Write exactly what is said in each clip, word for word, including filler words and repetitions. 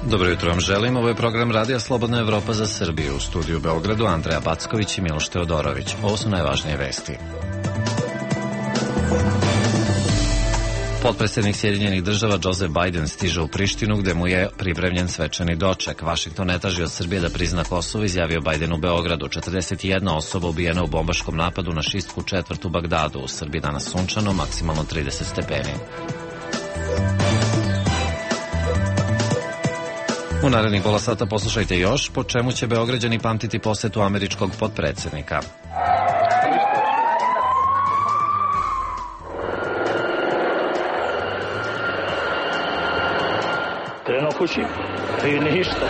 Dobro jutro vam želim. Ovo je program Radija Slobodna Evropa za Srbiju. U studiju u Beogradu Andreja Backović i Miloš Teodorović. Ovo su najvažnije vesti. Potpredsjednik Sjedinjenih država Joseph Biden stiže u Prištinu gde mu je pripremljen svečani doček. Vašington ne traži od Srbije da prizna Kosovo, izjavio Biden u Beogradu. četrdeset jedna osoba ubijena u bombaškom napadu na šistsku četvrt u Bagdadu. U Srbiji danas sunčano, maksimalno trideset stepeni. U narednih pola sata poslušajte još po čemu će Beograđani pamtiti posetu američkog potpredsjednika. Treno kući, i ništa,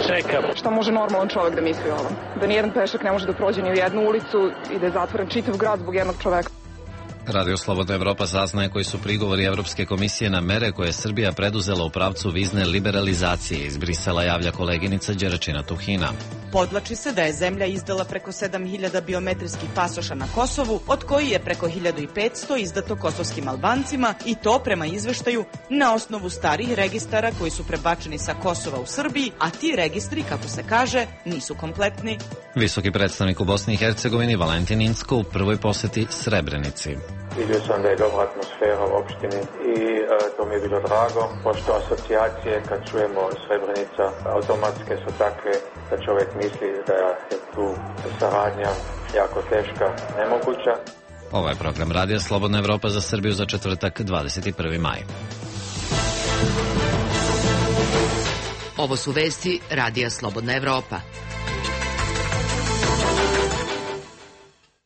čekam. Šta može normalan čovjek da misli o ovom? Da nijedan pešak ne može da prođe ni u jednu ulicu i da je zatvoren čitav grad zbog jednog čoveka. Radio Slobodna Evropa saznaje koji su prigovori Evropske komisije na mere koje je Srbija preduzela u pravcu vizne liberalizacije. Iz Brisela javlja koleginica Đeračina Tuhina. Podvlači se da je zemlja izdala preko sedam hiljada biometrijskih pasoša na Kosovu, od koji je preko hiljadu petsto izdato kosovskim Albancima i to prema izveštaju na osnovu starih registara koji su prebačeni sa Kosova u Srbiji, a ti registri, kako se kaže, nisu kompletni. Visoki predstavnik u Bosni i Hercegovini Valentin Incko u prvoj poseti Srebrenici. Vidio sam da je dobra atmosfera u opštini i e, to mi je bilo drago, pošto asocijacije kad čujemo Srebrenica automatske su takve da čovjek misli da je tu saradnja jako teška, nemoguća. Ovo je program Radija Slobodna Evropa za Srbiju za četvrtak dvadeset prvi maj. Ovo su vesti Radija Slobodna Evropa.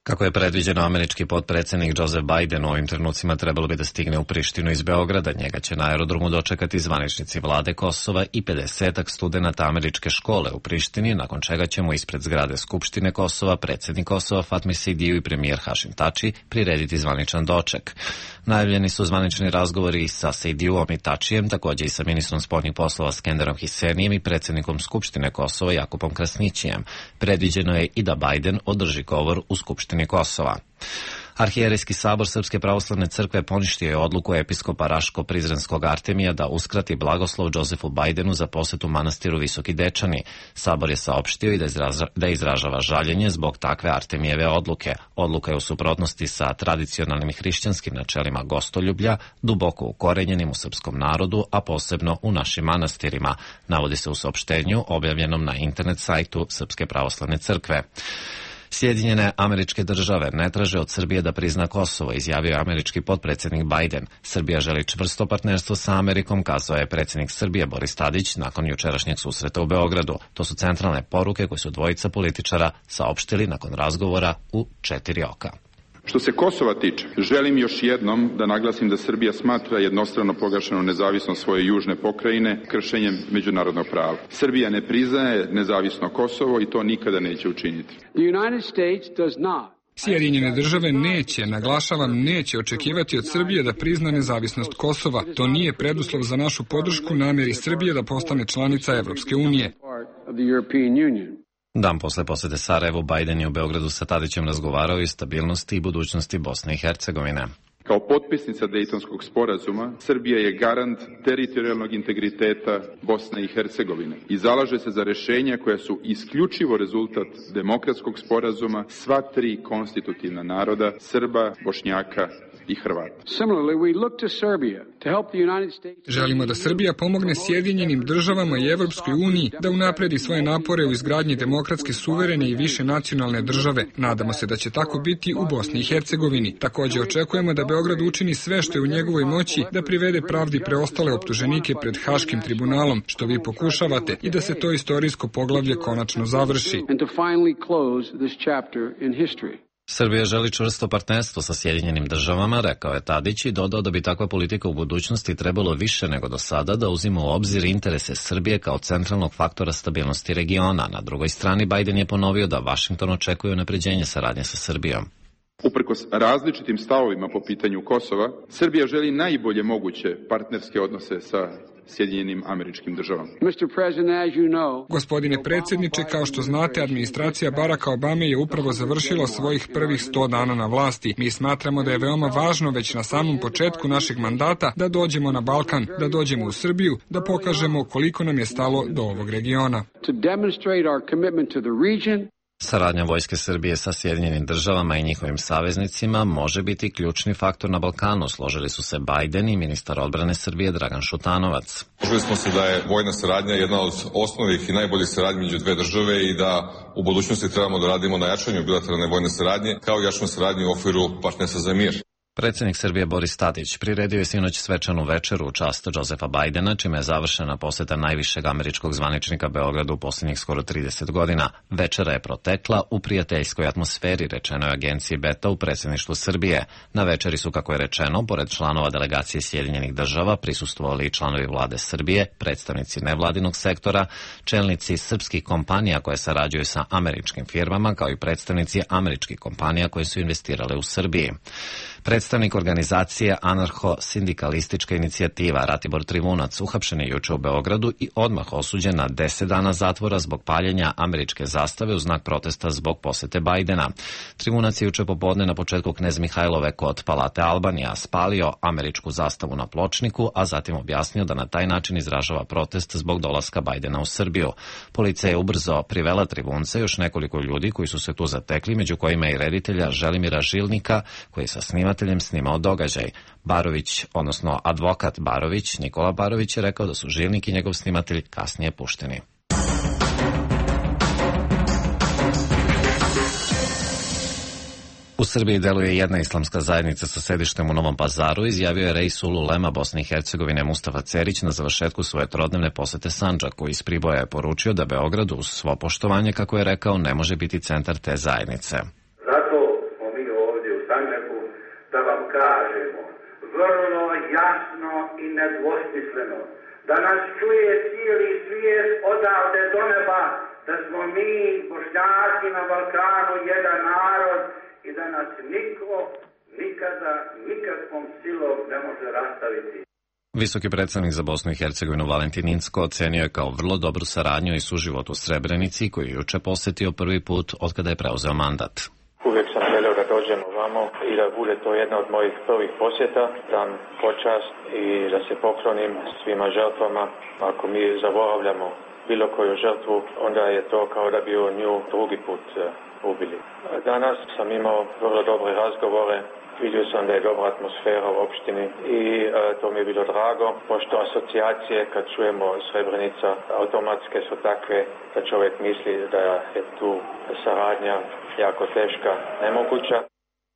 Kako je predviđeno, američki potpredsjednik Joseph Biden u ovim trenucima trebalo bi da stigne u Prištinu iz Beograda. Njega će na aerodromu dočekati zvaničnici vlade Kosova i pedesetak studenata američke škole u Prištini, nakon čega će mu ispred zgrade Skupštine Kosova predsjednik Kosova Fatmir Sidiu i premijer Hašim Tači prirediti zvaničan doček. Najavljeni su zvanični razgovori sa Sidiuom i Tačijem, također i sa ministrom spoljnih poslova Skenderom Hisenijem i predsjednikom Skupštine Kosova Jakupom Krasnićijem. Predviđeno je i da Biden održi govor u Skupštini Kosova. Arhijerejski sabor Srpske pravoslavne crkve poništio je odluku episkopa Raško-Prizrenskog Artemija da uskrati blagoslov Josefu Bidenu za posetu manastiru Visoki Dečani. Sabor je saopštio i da, izraža, da izražava žaljenje zbog takve Artemijeve odluke. Odluka je u suprotnosti sa tradicionalnim hrišćanskim načelima gostoljublja, duboko ukorenjenim u srpskom narodu, a posebno u našim manastirima, navodi se u saopštenju objavljenom na internet sajtu Srpske pravoslavne crkve. Sjedinjene američke države ne traže od Srbije da prizna Kosovo, izjavio je američki potpredsjednik Biden. Srbija želi čvrsto partnerstvo sa Amerikom, kazao je predsjednik Srbije Boris Tadić nakon jučerašnjeg susreta u Beogradu. To su centralne poruke koje su dvojica političara saopštili nakon razgovora u četiri oka. Što se Kosova tiče, želim još jednom da naglasim da Srbija smatra jednostrano proglašenu nezavisnost svoje južne pokrajine kršenjem međunarodnog prava. Srbija ne priznaje nezavisno Kosovo i to nikada neće učiniti. Sjedinjene države neće, naglašavam, neće očekivati od Srbije da prizna nezavisnost Kosova. To nije preduslov za našu podršku namjeri Srbije da postane članica Evropske unije. Dan posle posete Sarajevu, Biden je u Beogradu sa Tadićem razgovarao i stabilnosti i budućnosti Bosne i Hercegovine. Kao potpisnica Dejtonskog sporazuma, Srbija je garant teritorijalnog integriteta Bosne i Hercegovine i zalaže se za rješenja koja su isključivo rezultat demokratskog sporazuma sva tri konstitutivna naroda, Srba, Bošnjaka i Hrvata. Želimo da Srbija pomogne Sjedinjenim državama i Evropskoj uniji da unapredi svoje napore u izgradnji demokratske, suverene i više nacionalne države. Nadamo se da će tako biti u Bosni i Hercegovini. Također očekujemo da Beograd učini sve što je u njegovoj moći da privede pravdi preostale optuženike pred Haškim tribunalom, što vi pokušavate, i da se to istorijsko poglavlje konačno završi. Srbija želi čvrsto partnerstvo sa Sjedinjenim državama, rekao je Tadić i dodao da bi takva politika u budućnosti trebalo više nego do sada da uzima u obzir interese Srbije kao centralnog faktora stabilnosti regiona. Na drugoj strani, Biden je ponovio da Vašington očekuje unapređenje saradnje sa Srbijom. Uprkos različitim stavovima po pitanju Kosova, Srbija želi najbolje moguće partnerske odnose sa Sjedinjenim Američkim Državama. Gospodine predsjedniče, kao što znate, administracija Baracka Obame je upravo završila svojih prvih sto dana na vlasti. Mi smatramo da je veoma važno već na samom početku našeg mandata da dođemo na Balkan, da dođemo u Srbiju, da pokažemo koliko nam je stalo do ovog regiona. Saradnja Vojske Srbije sa Sjedinjenim državama i njihovim saveznicima može biti ključni faktor na Balkanu, složili su se Biden i ministar odbrane Srbije Dragan Šutanovac. Složili smo se da je vojna saradnja jedna od osnovnih i najboljih saradnji među dve države i da u budućnosti trebamo da radimo na jačanju bilateralne vojne saradnje, kao i jačanju saradnje u okviru partnerstva za mir. Predsjednik Srbije Boris Tadić priredio je sinoć svečanu večeru u čast Josefa Bajdena, čime je završena poseta najvišeg američkog zvaničnika Beogradu u posljednjih skoro trideset godina. Večera je protekla u prijateljskoj atmosferi, rečeno je agenciji Beta u predsjedništvu Srbije. Na večeri su, kako je rečeno, pored članova delegacije Sjedinjenih država prisustvovali i članovi vlade Srbije, predstavnici nevladinog sektora, čelnici srpskih kompanija koje sarađuju sa američkim firmama, kao i predstavnici američkih kompanija koje su investirale u Srbiji. Predstavnik organizacije Anarho-sindikalistička inicijativa Ratibor Trivunac uhapšen je juče u Beogradu i odmah osuđen na deset dana zatvora zbog paljenja američke zastave u znak protesta zbog posete Bajdena. Trivunac je juče popodne na početku Knez Mihajlove kod Palate Albanija spalio američku zastavu na pločniku, a zatim objasnio da na taj način izražava protest zbog dolaska Bajdena u Srbiju. Policija je ubrzo privela Trivunca i još nekoliko ljudi koji su se tu zatekli, među kojima i reditelja Želimira Žilnika, koji sa snimateljem snimao događaj. Barović, odnosno advokat Barović, Nikola Barović, je rekao da su Žilnik i njegov snimatelj kasnije pušteni. U Srbiji deluje jedna islamska zajednica sa sedištem u Novom Pazaru, izjavio je Reis Ululema Bosne i Hercegovine Mustafa Cerić na završetku svoje trodnevne posete Sandžaku. Iz Priboja je poručio da Beograd, uz svo poštovanje, kako je rekao, ne može biti centar te zajednice. Kažemo vrlo jasno i nedvosmisleno da nas čuje cijeli svijet odavde do neba, da smo mi Bošnjaci na Balkanu jedan narod i da nas niko nikada nikakvom silom ne može rastaviti. Visoki predstavnik za Bosnu i Hercegovinu Valentin Incko ocenio je kao vrlo dobru saradnju i suživot u Srebrenici, koju je juče posetio prvi put od kada je preuzeo mandat. Uvijek sam želeo da dođem ovamo i da bude to jedna od mojih prvih posjeta, dam počast i da se poklonim svima žrtvama. Ako mi zaboravljamo bilo koju žrtvu, onda je to kao da bi nju drugi put ubili. Danas sam imao vrlo dobre razgovore, vidio sam da je dobra atmosfera u opštini i e, to mi je bilo drago, pošto asocijacije kad čujemo Srebrenica automatske su takve da čovjek misli da je tu saradnja jako teška, nemoguća.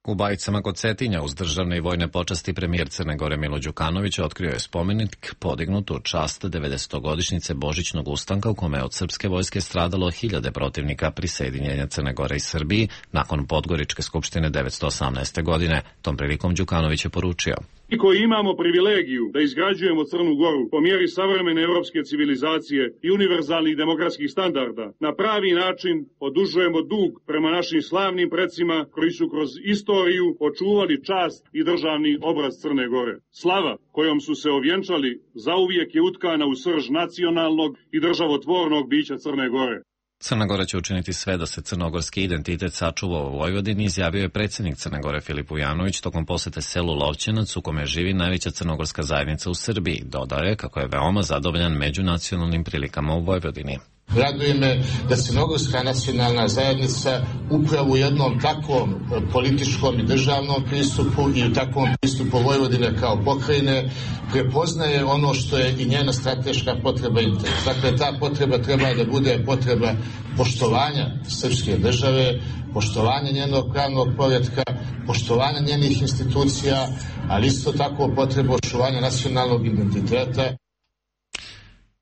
U Bajicama kod Cetinja uz državne i vojne počasti premijer Crne Gore Milo Đukanović otkrio je spomenik podignut u čast devedesetogodišnjice Božićnog ustanka u kome je od srpske vojske stradalo hiljade protivnika prisjedinjenja Crne Gore i Srbiji nakon Podgoričke skupštine devetsto osamnaeste. godine. Tom prilikom Đukanović je poručio: Mi koji imamo privilegiju da izgrađujemo Crnu Goru po mjeri savremene evropske civilizacije i univerzalnih demokratskih standarda, na pravi način odužujemo dug prema našim slavnim precima koji su kroz istoriju očuvali čast i državni obraz Crne Gore. Slava kojom su se ovjenčali zauvijek je utkana u srž nacionalnog i državotvornog bića Crne Gore. Crna Gora će učiniti sve da se crnogorski identitet sačuva u Vojvodini, izjavio je predsjednik Crne Gore Filip Vujanović tokom posete selu Lovćenac u kome živi najveća crnogorska zajednica u Srbiji. Dodao je kako je veoma zadovoljan međunacionalnim prilikama u Vojvodini. Raduje me da Crnogorska nacionalna zajednica upravo u jednom takvom političkom i državnom pristupu i u takvom pristupu Vojvodine kao pokrajine prepoznaje ono što je i njena strateška potreba i interes. Dakle, ta potreba treba da bude potreba poštovanja srpske države, poštovanja njenog pravnog poretka, poštovanja njenih institucija, ali isto tako potreba očuvanja nacionalnog identiteta.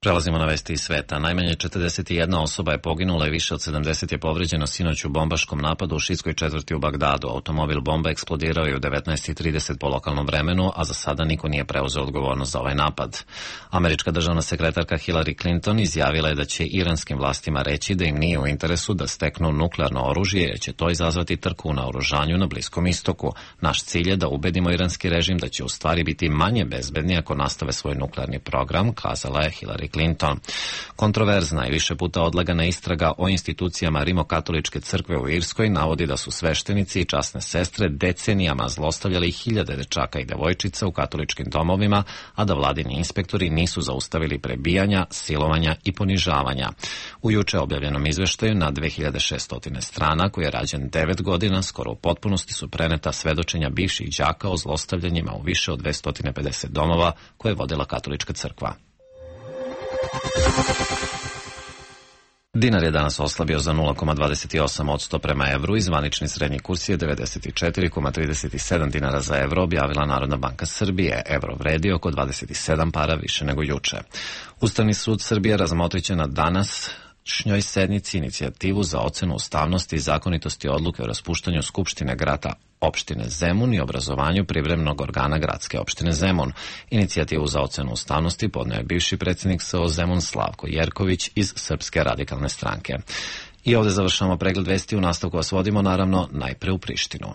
Prelazimo na vesti iz sveta. Najmanje četrdeset jedna osoba je poginula i više od sedamdeset je povređeno sinoć u bombaškom napadu u šijskoj četvrti u Bagdadu. Automobil bomba eksplodirao je u devetnaest i trideset po lokalnom vremenu, a za sada niko nije preuzeo odgovornost za ovaj napad. Američka državna sekretarka Hillary Clinton izjavila je da će iranskim vlastima reći da im nije u interesu da steknu nuklearno oružje, jer će to izazvati trku u naoružanju na Bliskom istoku. Naš cilj je da ubedimo iranski režim da će u stvari biti manje bezbedni ako nastave svoj nuklearni program, kazala je Hillary Clinton. Kontroverzna i više puta odlagana istraga o institucijama Rimokatoličke crkve u Irskoj navodi da su sveštenici i časne sestre decenijama zlostavljali hiljade dečaka i devojčica u katoličkim domovima, a da vladini inspektori nisu zaustavili prebijanja, silovanja i ponižavanja. U juče objavljenom izveštaju na dve hiljade šesto strana, koji je rađen devet godina, skoro u potpunosti su preneta svedočenja bivših đaka o zlostavljanjima u više od dvesta pedeset domova koje je vodila katolička crkva. Dinar je danas oslabio za nula zarez dvadeset osam posto prema evru i zvanični srednji kurs je devedeset četiri zarez trideset sedam dinara za evro, objavila Narodna banka Srbije. Evro vredi oko dvadeset sedam para više nego juče. Ustavni sud Srbije razmotriće na danas šnjoj sednici inicijativu za ocenu ustavnosti i zakonitosti odluke o raspuštanju Skupštine grada opštine Zemun i obrazovanju privremenog organa gradske opštine Zemun. Inicijativu za ocenu ustavnosti podneo je bivši predsjednik S O Zemun Slavko Jerković iz Srpske radikalne stranke. I ovdje završamo pregled vesti, u nastavku vas vodimo naravno najpre u Prištinu.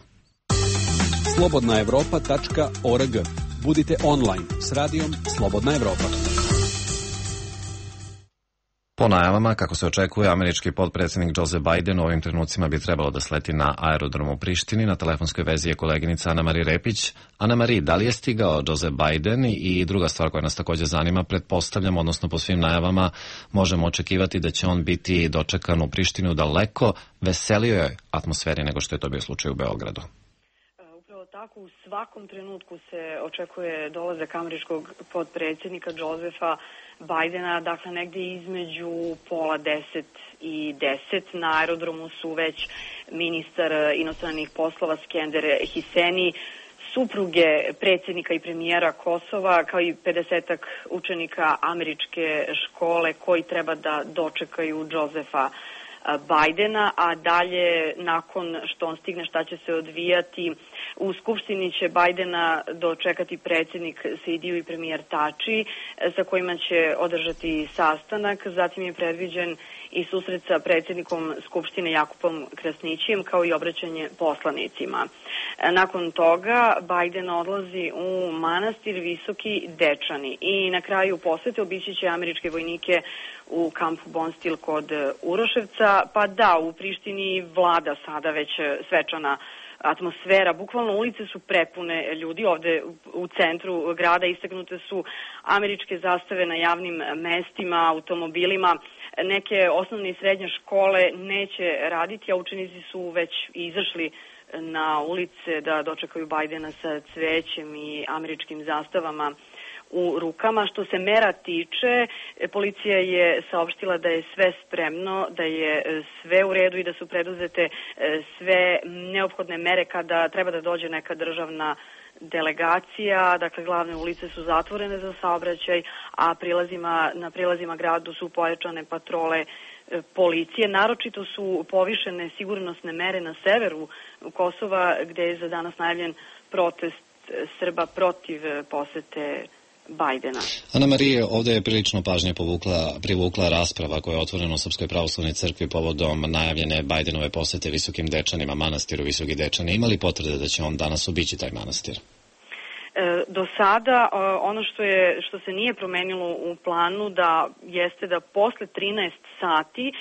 slobodna evropa tačka org. Budite online s radijom Slobodna Evropa. Po najavama, kako se očekuje, američki potpredsjednik Joseph Biden u ovim trenucima bi trebalo da sleti na aerodromu u Prištini. Na telefonskoj vezi je koleginica Ana-Mari Repić. Ana-Mari, da li je stigao Joseph Biden? I druga stvar koja nas također zanima, pretpostavljam, odnosno po svim najavama, možemo očekivati da će on biti dočekan u Prištini u daleko veselijoj atmosferi nego što je to bio slučaj u Beogradu. Tako, u svakom trenutku se očekuje dolazak američkog potpredsjednika Josepha Bidena, dakle negdje između pola deset i deset. Na aerodromu su već ministar inostranih poslova Skender Hiseni, supruge predsjednika i premijera Kosova, kao i pedesetak učenika američke škole koji treba da dočekaju Josepha Bidena, a dalje nakon što on stigne šta će se odvijati, u Skupštini će Bidena dočekati predsjednik Sejdiju i premijer Tači, sa kojima će održati sastanak. Zatim je predviđen i susret sa predsjednikom Skupštine Jakupom Krasnićijem, kao i obraćanje poslanicima. Nakon toga Biden odlazi u manastir Visoki Dečani i na kraju posete obići će američke vojnike u kampu Bonstil kod Uroševca. Pa da, u Prištini vlada sada već svečana atmosfera. Bukvalno ulice su prepune ljudi. Ovde u centru grada istaknute su američke zastave na javnim mestima, automobilima. Neke osnovne i srednje škole neće raditi, a učenici su već izašli na ulice da dočekaju Bidena sa cvećem i američkim zastavama u rukama. Što se mera tiče, policija je saopštila da je sve spremno, da je sve u redu i da su preduzete sve neophodne mere kada treba da dođe neka državna delegacija. Dakle, glavne ulice su zatvorene za saobraćaj, a prilazima, na prilazima gradu su pojačane patrole policije. Naročito su povišene sigurnosne mere na severu Kosova, gde je za danas najavljen protest Srba protiv posete Bidena. Ana-Marije, ovdje je prilično pažnje povukla, privukla rasprava koja je otvorena u Srpskoj pravoslavnoj crkvi povodom najavljene Bidenove posete Visokim Dečanima, manastiru Visoki Dečani. Ima li potvrde da će on danas obići taj manastir? Do sada ono što je što se nije promenilo u planu da jeste da posle trinaest sati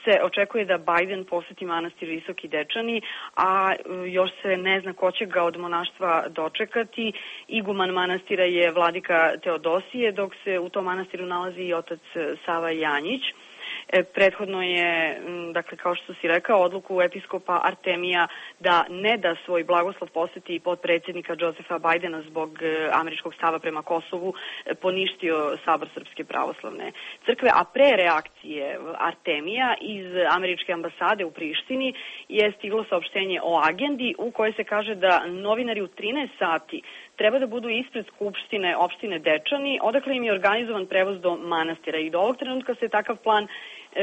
se očekuje da Biden poseti manastir Visoki Dečani, a još se ne zna ko će ga od monaštva dočekati. Iguman manastira je vladika Teodosije, dok se u tom manastiru nalazi i otac Sava Janjić. Prethodno je, dakle, kao što si rekao, odluku episkopa Artemija da ne da svoj blagoslov poseti potpredsjednika Josepha Bidena zbog američkog stava prema Kosovu poništio Sabor Srpske pravoslavne crkve, a pre reakcije Artemija iz američke ambasade u Prištini je stiglo saopštenje o agendi u kojoj se kaže da novinari u trinaest sati treba da budu ispred skupštine opštine Dečani, odakle im je organizovan prevoz do manastira i do ovog trenutka se takav plan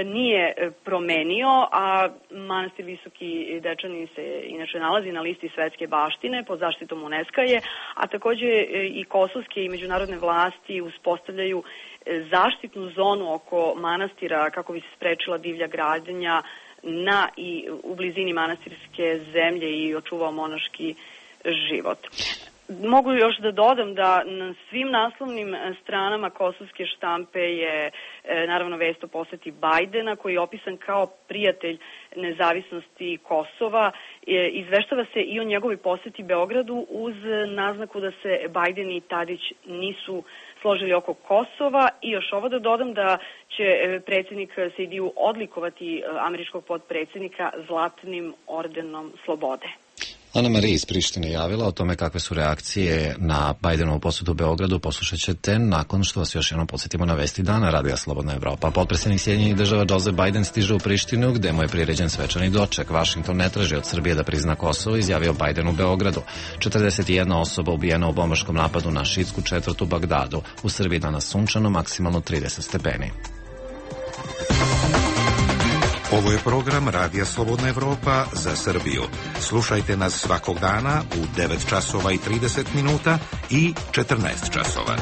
nije promenio, a manastir Visoki Dečani se inače nalazi na listi svetske baštine pod zaštitom UNESCO je, a takođe i kosovske i međunarodne vlasti uspostavljaju zaštitnu zonu oko manastira kako bi se sprečila divlja gradnja na i u blizini manastirske zemlje i očuvao monaški život. Mogu još da dodam da na svim naslovnim stranama kosovske štampe je naravno vest o poseti Bajdena koji je opisan kao prijatelj nezavisnosti Kosova. Izveštava se i o njegovoj poseti Beogradu uz naznaku da se Bajden i Tadić nisu složili oko Kosova i još ovo da dodam da će predsjednik Sejdiju odlikovati američkog potpredsjednika Zlatnim ordenom slobode. Ana Marija iz Prištine javila o tome kakve su reakcije na Bajdenovu posetu u Beogradu. Poslušat ćete nakon što vas još jednom podsjetimo na vesti dana Radija Slobodna Evropa. Potpredsjednik Sjedinjenih država Joseph Biden stiže u Prištinu gde mu je priređen svečani doček. Washington ne traži od Srbije da prizna Kosovo, izjavio Biden u Beogradu. četrdeset jedna osoba ubijena u bombaškom napadu na šiitsku četvrt u Bagdadu. U Srbiji danas sunčano, maksimalno trideset stepeni. Ovo je program Radija Slobodna Evropa za Srbiju. Slušajte nas svakog dana u devet časova i trideset minuta i četrnaest časova.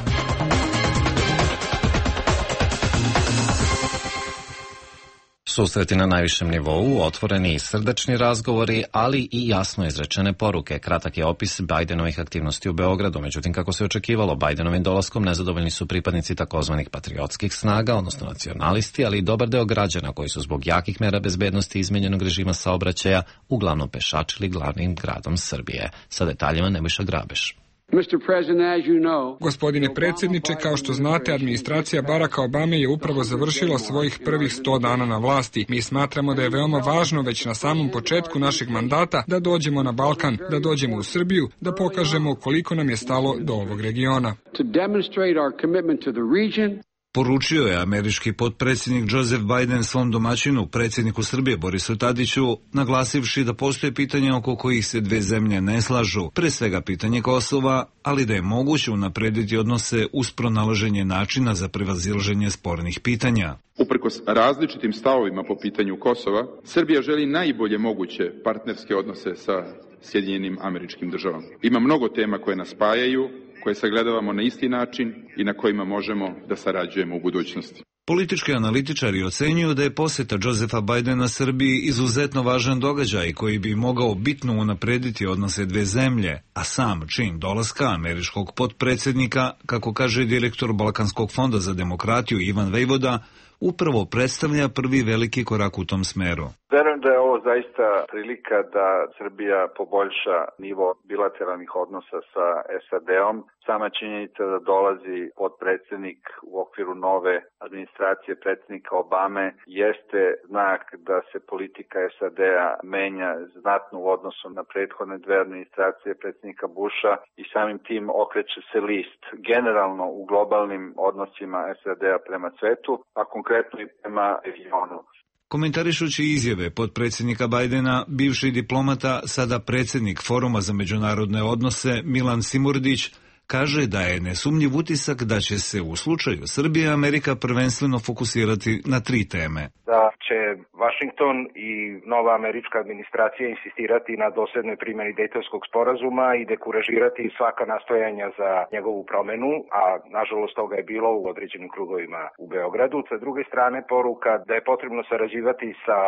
Susreti na najvišem nivou, otvoreni i srdačni razgovori, ali i jasno izrečene poruke. Kratak je opis Bajdenovih aktivnosti u Beogradu. Međutim, kako se očekivalo, Bajdenovim dolaskom nezadovoljni su pripadnici takozvanih patriotskih snaga, odnosno nacionalisti, ali i dobar deo građana koji su zbog jakih mera bezbednosti i izmenjenog režima saobraćaja uglavnom pešačili glavnim gradom Srbije. Sa detaljima Nebojša Grabeš. Gospodine predsjedniče, kao što znate, administracija Baracka Obame je upravo završila svojih prvih sto dana na vlasti. Mi smatramo da je veoma važno već na samom početku našeg mandata da dođemo na Balkan, da dođemo u Srbiju, da pokažemo koliko nam je stalo do ovog regiona. Poručio je američki potpredsjednik Joseph Biden svom domaćinu, predsjedniku Srbije Borisu Tadiću, naglasivši da postoje pitanja oko kojih se dve zemlje ne slažu, pre svega pitanje Kosova, ali da je moguće unaprediti odnose uz pronalaženje načina za prevazilaženje spornih pitanja. Uprkos različitim stavovima po pitanju Kosova, Srbija želi najbolje moguće partnerske odnose sa Sjedinjenim Američkim Državama. Ima mnogo tema koje nas spajaju, koje sagledavamo na isti način i na kojima možemo da sarađujemo u budućnosti. Politički analitičari ocenjuju da je poseta Josefa Bajdena Srbiji izuzetno važan događaj koji bi mogao bitno unaprediti odnose dve zemlje, a sam čin dolaska američkog potpredsjednika, kako kaže direktor Balkanskog fonda za demokratiju Ivan Vejvoda, upravo predstavlja prvi veliki korak u tom smeru. Verujem da je ovo zaista prilika da Srbija poboljša nivo bilateralnih odnosa sa S A D-om. Sama činjenica da dolazi potpredsjednik u okviru nove administracije predsjednika Obame jeste znak da se politika S A D-a menja znatno u odnosu na prethodne dve administracije predsjednika Busha i samim tim okreće se list generalno u globalnim odnosima S A D-a prema svetu, a konkretno i prema regionu. Komentarišući izjave potpredsjednika Bajdena, bivši diplomata, sada predsjednik Foruma za međunarodne odnose Milan Simurdić, kaže da je nesumnjiv utisak da će se u slučaju Srbije Amerika prvenstveno fokusirati na tri teme. Da će Washington i nova američka administracija insistirati na dosljednoj primjeni Dejtonskog sporazuma i dekuražirati svaka nastojanja za njegovu promenu, a nažalost toga je bilo u određenim krugovima u Beogradu. Sa druge strane, poruka da je potrebno sarađivati sa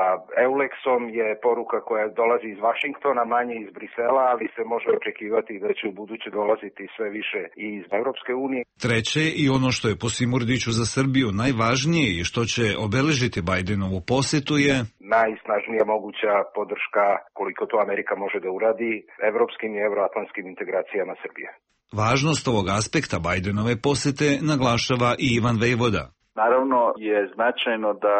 Eulexom je poruka koja dolazi iz Washingtona, manje iz Brisela, ali se može očekivati da će u buduće dolaziti sve više i iz Evropske unije. Treće, i ono što je po Simurdiću za Srbiju najvažnije i što će obeležiti Bajdenovu posetu je najsnažnija moguća podrška, koliko to Amerika može da uradi, evropskim i evroatlantskim integracijama Srbije. Važnost ovog aspekta Bajdenove posete naglašava i Ivan Vejvoda. Naravno je značajno da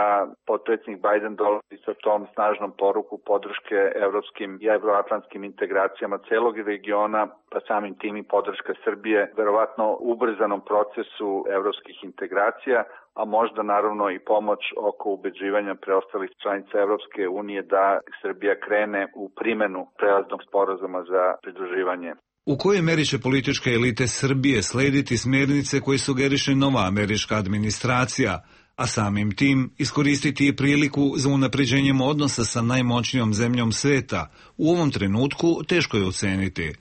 potpredsjednik Biden dolazi sa tom snažnom poruku podrške evropskim i evroatlantskim integracijama celog regiona, pa samim tim i podrška Srbije, verovatno ubrzanom procesu evropskih integracija, a možda naravno i pomoć oko ubeđivanja preostalih članica Evropske unije da Srbija krene u primenu prelaznog sporazuma za pridruživanje. U kojoj meri će političke elite Srbije slediti smjernice koje sugeriše nova američka administracija, a samim tim iskoristiti i priliku za unapređenjem odnosa sa najmoćnijom zemljom sveta, u ovom trenutku teško je oceniti.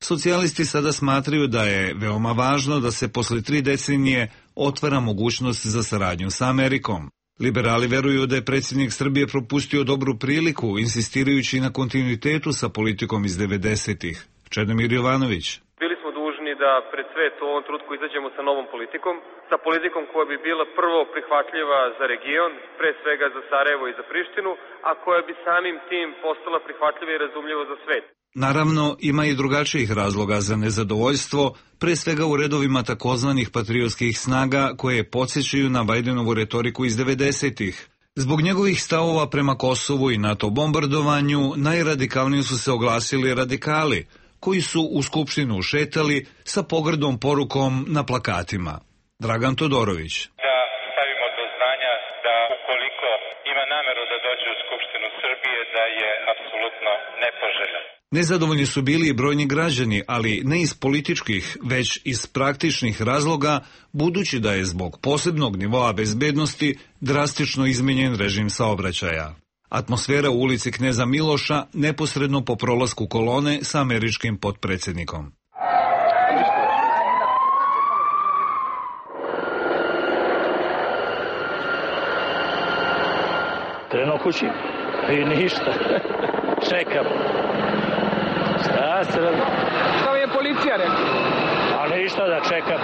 Socijalisti sada smatraju da je veoma važno da se posle tri decenije otvara mogućnost za saradnju sa Amerikom. Liberali veruju da je predsjednik Srbije propustio dobru priliku, insistirajući na kontinuitetu sa politikom iz devedesetih. Čedomir Jovanović. Bili smo dužni da pred svet u ovom trenutku izađemo sa novom politikom, sa politikom koja bi bila prvo prihvatljiva za region, pre svega za Sarajevo i za Prištinu, a koja bi samim tim postala prihvatljiva i razumljiva za svet. Naravno, ima i drugačijih razloga za nezadovoljstvo, pre svega u redovima takozvanih patriotskih snaga koje podsjećaju na Bajdenovu retoriku iz devedesetih. Zbog njegovih stavova prema Kosovu i NATO bombardovanju, najradikalnije su se oglasili radikali, koji su u Skupštinu ušetali sa pogrdom porukom na plakatima. Dragan Todorović. Da stavimo do znanja da ukoliko ima nameru da dođe u Skupštinu Srbije, da je apsolutno nepoželjan. Nezadovoljni su bili i brojni građani, ali ne iz političkih, već iz praktičnih razloga, budući da je zbog posebnog nivoa bezbednosti drastično izmenjen režim saobraćaja. Atmosfera u ulici Kneza Miloša neposredno po prolasku kolone sa američkim potpredsjednikom. Krenuo kući i ništa. Čekam. Šta se radi? To je policija rekla. A ništa da čekam.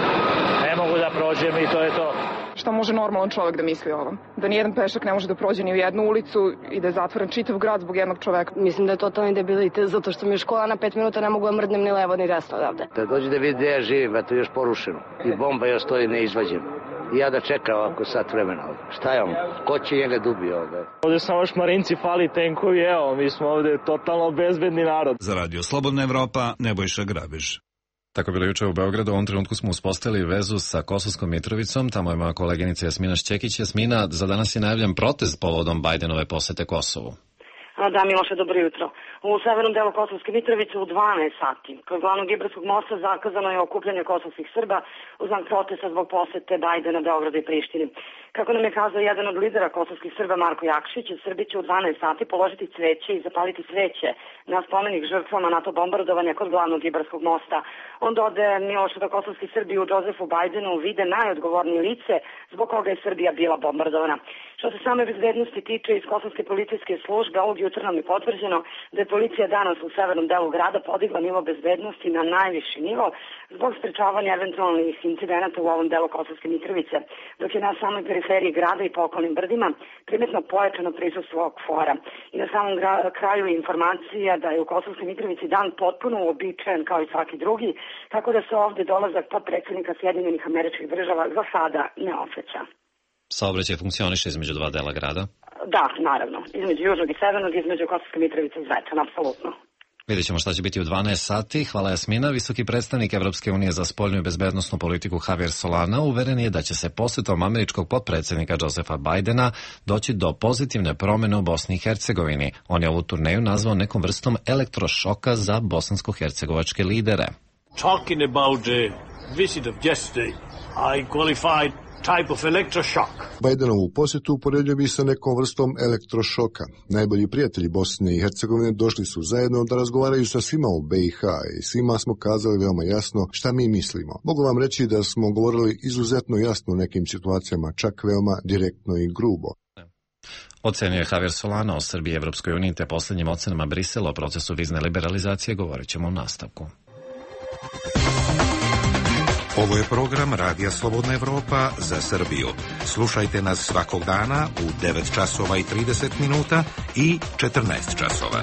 Ne mogu da prođem i to je to. Šta može normalan čovjek da misli o ovom? Da nijedan pešak ne može da prođe ni u jednu ulicu i da je zatvoren čitav grad zbog jednog čoveka. Mislim da je totalni debilitet, zato što mi je škola na pet minuta, ne mogu da mrdnem ni levo ni desno odavde. Da dođe da vidi gde ja živim, eto još porušeno. I bomba još stoji neizvađena. I ja da čekam ovako sat vremena ovdje. Šta je on? Ko će njega dubi ovdje? Ovdje samo šmarinci, fali tenkovi, evo, mi smo ovdje totalno bezbedni narod. Za Radio Slobodna Evropa, Nebojša Grabež. Tako je bilo juče u Beogradu. U ovom trenutku smo uspostavili vezu sa Kosovskom Mitrovicom. Tamo je moja koleginica Jasmina Šćekić. Jasmina, za danas je najavljen protest povodom Bajdenove posete Kosovu. Da, Miloše, dobro jutro. U severnom delu Kosovske Mitrovice u dvanaest sati kod glavnog Ibarskog mosta zakazano je okupljanje kosovskih Srba u znak protesta zbog posete Bajdena Beogradu i Prištini. Kako nam je kazao jedan od lidera kosovskih Srba, Marko Jakšić, Srbi će u dvanaest sati položiti cveće i zapaliti sveće na spomenik žrtvama NATO bombardovanja kod glavnog Ibarskog mosta. On dodaje, Miloše, da kosovski Srbi u Jozefu Bajdenu vide najodgovornije lice zbog koga je Srbija bila bombardovana. Što se same bezbednosti tiče, iz kosovske policijske službe ovog jutra nam je potvrđeno da je policija danas u severnom delu grada podigla nivo bezbednosti na najviši nivo zbog sprečavanja eventualnih incidenata u ovom delu Kosovske Mitrovice, dok je na samoj periferiji grada i po okolnim brdima primetno pojačano prisustvo kvora. I na samom kraju informacija da je u Kosovskoj Mitrovici dan potpuno uobičajen kao i svaki drugi, tako da se ovdje dolazak potpredsjednika Sjedinjenih Američkih Država za sada ne osjeća. Saobraćaj funkcioniše između dva dela grada? Da, naravno. Između južnog i severnog, između Kosovske Mitrovice i Zvečana, apsolutno. Vidjet ćemo šta će biti u dvanaest sati. Hvala, Jasmina. Visoki predstavnik Evropske unije za spoljnu i bezbednosnu politiku Javier Solana uveren je da će se posjetom američkog potpredsjednika Josefa Bajdena doći do pozitivne promjene u Bosni i Hercegovini. On je ovu turneju nazvao nekom vrstom elektrošoka za bosansko-hercegovačke lidere. Talking about the visit of yesterday, I qualified type of electroshock. Bajdenovu posjetu uporedio bi sa nekom vrstom elektrošoka. Najbolji prijatelji Bosne i Hercegovine došli su zajedno da razgovaraju sa svima u be i ha i svima smo kazali veoma jasno šta mi mislimo. Mogu vam reći da smo govorili izuzetno jasno u nekim situacijama, čak veoma direktno i grubo. Ocenio je Javier Solana o Srbiji i Evropskoj uniji te posljednjim ocenama Brisela o procesu vizne liberalizacije govorit ćemo u nastavku. Ovo je program Radija Slobodna Evropa za Srbiju. Slušajte nas svakog dana u devet časova i trideset minuta i četrnaest časova.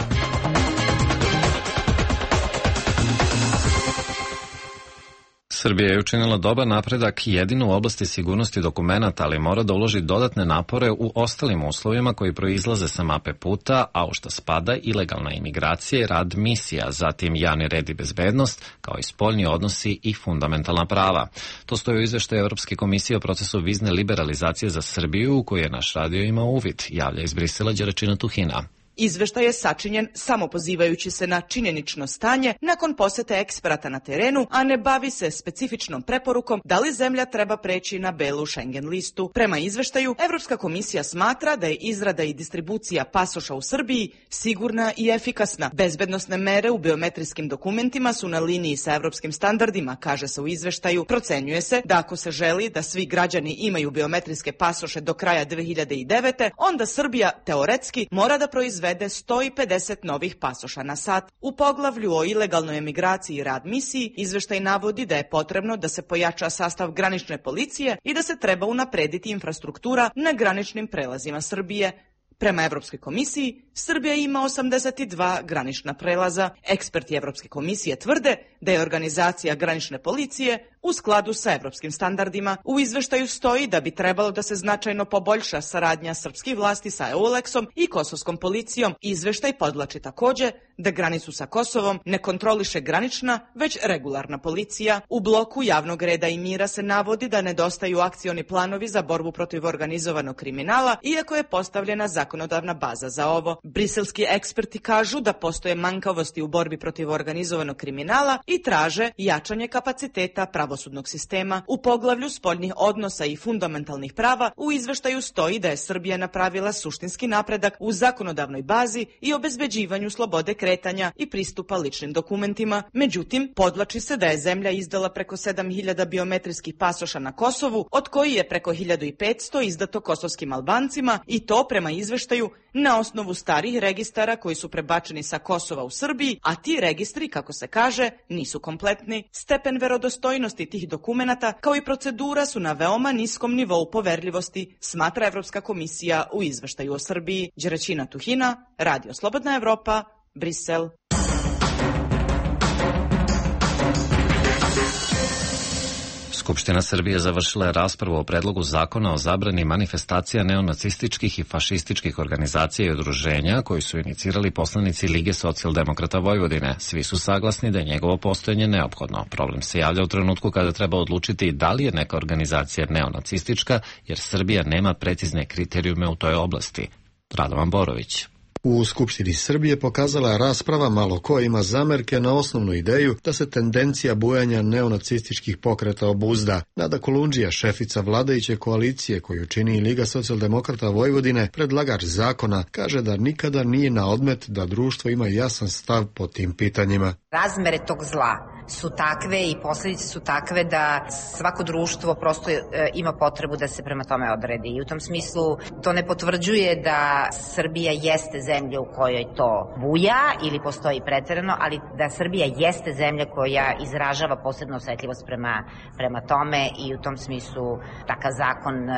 Srbija je učinila dobar napredak jedino u oblasti sigurnosti dokumenata, ali mora da uloži dodatne napore u ostalim uslovima koji proizlaze sa mape puta, a u šta spada ilegalna imigracija i rad misija, zatim javni red i bezbednost, kao i spoljni odnosi i fundamentalna prava. To stoji u izveštaju Evropske komisije o procesu vizne liberalizacije za Srbiju, u kojoj je naš radio imao uvid, javlja iz Brisela Đeračina Tuhina. Izveštaj je sačinjen samo pozivajući se na činjenično stanje nakon posete eksperata na terenu, a ne bavi se specifičnom preporukom da li zemlja treba preći na belu Schengen listu. Prema izveštaju, Evropska komisija smatra da je izrada i distribucija pasoša u Srbiji sigurna i efikasna. Bezbednosne mere u biometrijskim dokumentima su na liniji sa evropskim standardima, kaže se u izveštaju. Procenjuje se da ako se želi da svi građani imaju biometrijske pasoše do kraja dve hiljade devete. onda Srbija teoretski mora da proizvede sto pedeset novih pasoša na sat. U poglavlju o ilegalnoj emigraciji i rad misiji izveštaj navodi da je potrebno da se pojača sastav granične policije i da se treba unaprediti infrastruktura na graničnim prelazima Srbije. Prema Evropskoj komisiji, Srbija ima osamdeset dva granična prelaza. Eksperti Evropske komisije tvrde da je organizacija granične policije u skladu sa evropskim standardima. U izveštaju stoji da bi trebalo da se značajno poboljša saradnja srpskih vlasti sa EULEX-om i kosovskom policijom. Izveštaj podvlači takođe da granicu sa Kosovom ne kontroliše granična, već regularna policija. U bloku javnog reda i mira se navodi da nedostaju akcioni planovi za borbu protiv organizovanog kriminala, iako je postavljena zakonodavna baza za ovo. Briselski eksperti kažu da postoje manjkavosti u borbi protiv organizovanog kriminala i traže jačanje kapaciteta pravosudnog sistema. U poglavlju spoljnih odnosa i fundamentalnih prava u izveštaju stoji da je Srbija napravila suštinski napredak u zakonodavnoj bazi i obezbeđivanju slobode kretanja i pristupa ličnim dokumentima. Međutim, podvlači se da je zemlja izdala preko sedam hiljada biometrijskih pasoša na Kosovu, od koji je preko hiljadu petsto izdato kosovskim Albancima i to prema izveštaju na osnovu starih registara koji su prebačeni sa Kosova u Srbiji, a ti registri, kako se kaže, nisu kompletni. Stepen verodostojnosti tih dokumenata kao i procedura su na veoma niskom nivou poverljivosti, smatra Evropska komisija u izveštaju o Srbiji. Đeraćina Tuhina, Radio Slobodna Evropa, Brisel. Skupština Srbije završila je raspravu o predlogu zakona o zabrani manifestacija neonacističkih i fašističkih organizacija i udruženja koji su inicirali poslanici Lige socijaldemokrata Vojvodine. Svi su saglasni da je njegovo postojanje neophodno. Problem se javlja u trenutku kada treba odlučiti da li je neka organizacija neonacistička, jer Srbija nema precizne kriterijume u toj oblasti. Radovan Borović. U Skupštini Srbije pokazala je rasprava malo ko ima zamerke na osnovnu ideju da se tendencija bujanja neonacističkih pokreta obuzda. Nada Kolundžija, šefica vladajuće koalicije koju čini Liga socijaldemokrata Vojvodine, predlagač zakona, kaže da nikada nije na odmet da društvo ima jasan stav po tim pitanjima. Razmere tog zla su takve i posljedice su takve da svako društvo prosto e, ima potrebu da se prema tome odredi. I u tom smislu to ne potvrđuje da Srbija jeste zemlja u kojoj to buja ili postoji preterano, ali da Srbija jeste zemlja koja izražava posebnu osetljivost prema, prema tome i u tom smislu takav zakon e,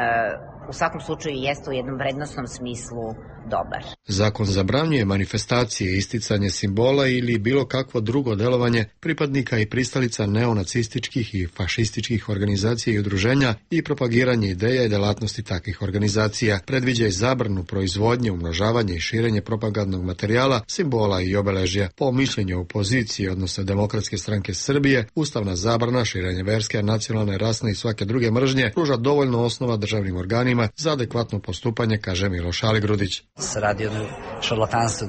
u svakom slučaju jeste u jednom vrednosnom smislu dobar. Zakon zabranjuje manifestacije, isticanje simbola ili bilo kakvo drugo delovanje pripadnika i pristalica neonacističkih i fašističkih organizacija i udruženja i propagiranje ideja i delatnosti takvih organizacija. Predviđa i zabranu proizvodnje, umnožavanje i širenje propagandnog materijala, simbola i obeležja. Po mišljenju opozicije, odnosno Demokratske stranke Srbije, ustavna zabrana širenja verske, nacionalne, rasne i svake druge mržnje pruža dovoljno osnova državnim organima za adekvatno postupanje, kaže Miloš Aligrudić. Se radi o šarlatanstvu,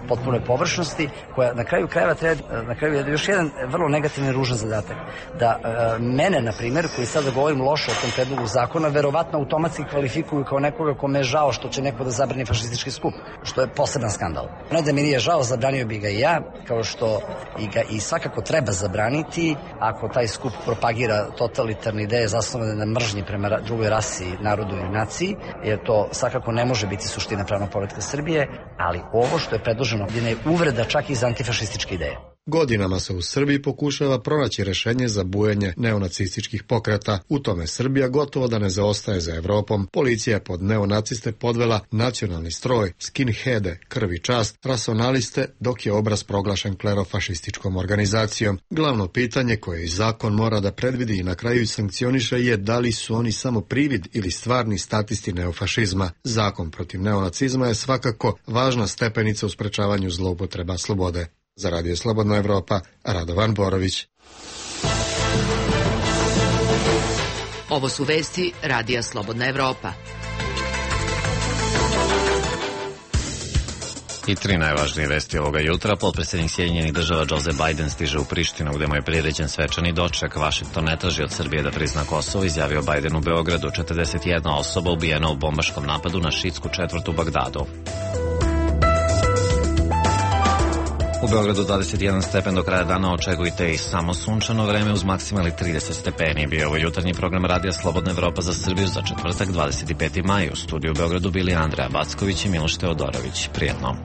potpunoj površnosti, koja na kraju krajeva treba, na kraju je još jedan vrlo negativni ružan zadatak. Da e, mene, na primjer, koji sada govorim loše o tom predlogu zakona, verovatno automatski kvalifikuju kao nekoga kome je žao što će neko da zabrani fašistički skup, što je poseban skandal. Ne da mi nije žao, zabranio bi ga i ja, kao što i ga i svakako treba zabraniti ako taj skup propagira totalitarne ideje zasnovane na mržnji prema drugoj rasi, narodu i naciji, jer to svakako ne može biti suština pravnog poretka Srbije, ali ovo što je predloženo je uvreda čak i za antifašističke ideje. Godinama se u Srbiji pokušava pronaći rešenje za bujanje neonacističkih pokreta. U tome Srbija gotovo da ne zaostaje za Evropom. Policija je pod neonaciste podvela nacionalni stroj, skinheade, krv i čast, racionaliste, dok je obraz proglašen klerofašističkom organizacijom. Glavno pitanje koje i zakon mora da predvidi i na kraju i sankcioniše je da li su oni samo privid ili stvarni statisti neofašizma. Zakon protiv neonacizma je svakako važna stepenica u sprečavanju zloupotreba slobode. Za Radio Slobodna Evropa, Radovan Borović. Ovo su vesti Radija Slobodna Evropa. I tri najvažnije vesti ovoga jutra. Potpredsjednik Sjedinjenih država Joe Biden stiže u Prištinu gde mu je priređen svečani doček. Washington ne traži od Srbije da prizna Kosovo, izjavio Biden u Beogradu. četrdeset jedna osoba ubijena u bombaškom napadu na šiitsku četvrt u Bagdadu. U Beogradu dvadeset jedan stepen, do kraja dana očekujte i samo sunčano vreme uz maksimalni trideset stepeni. Bio ovo jutarnji program Radija Slobodna Evropa za Srbiju za četvrtak dvadeset peti maj. U studiju u Beogradu bili Andreja Backović i Miloš Teodorović. Prijetno.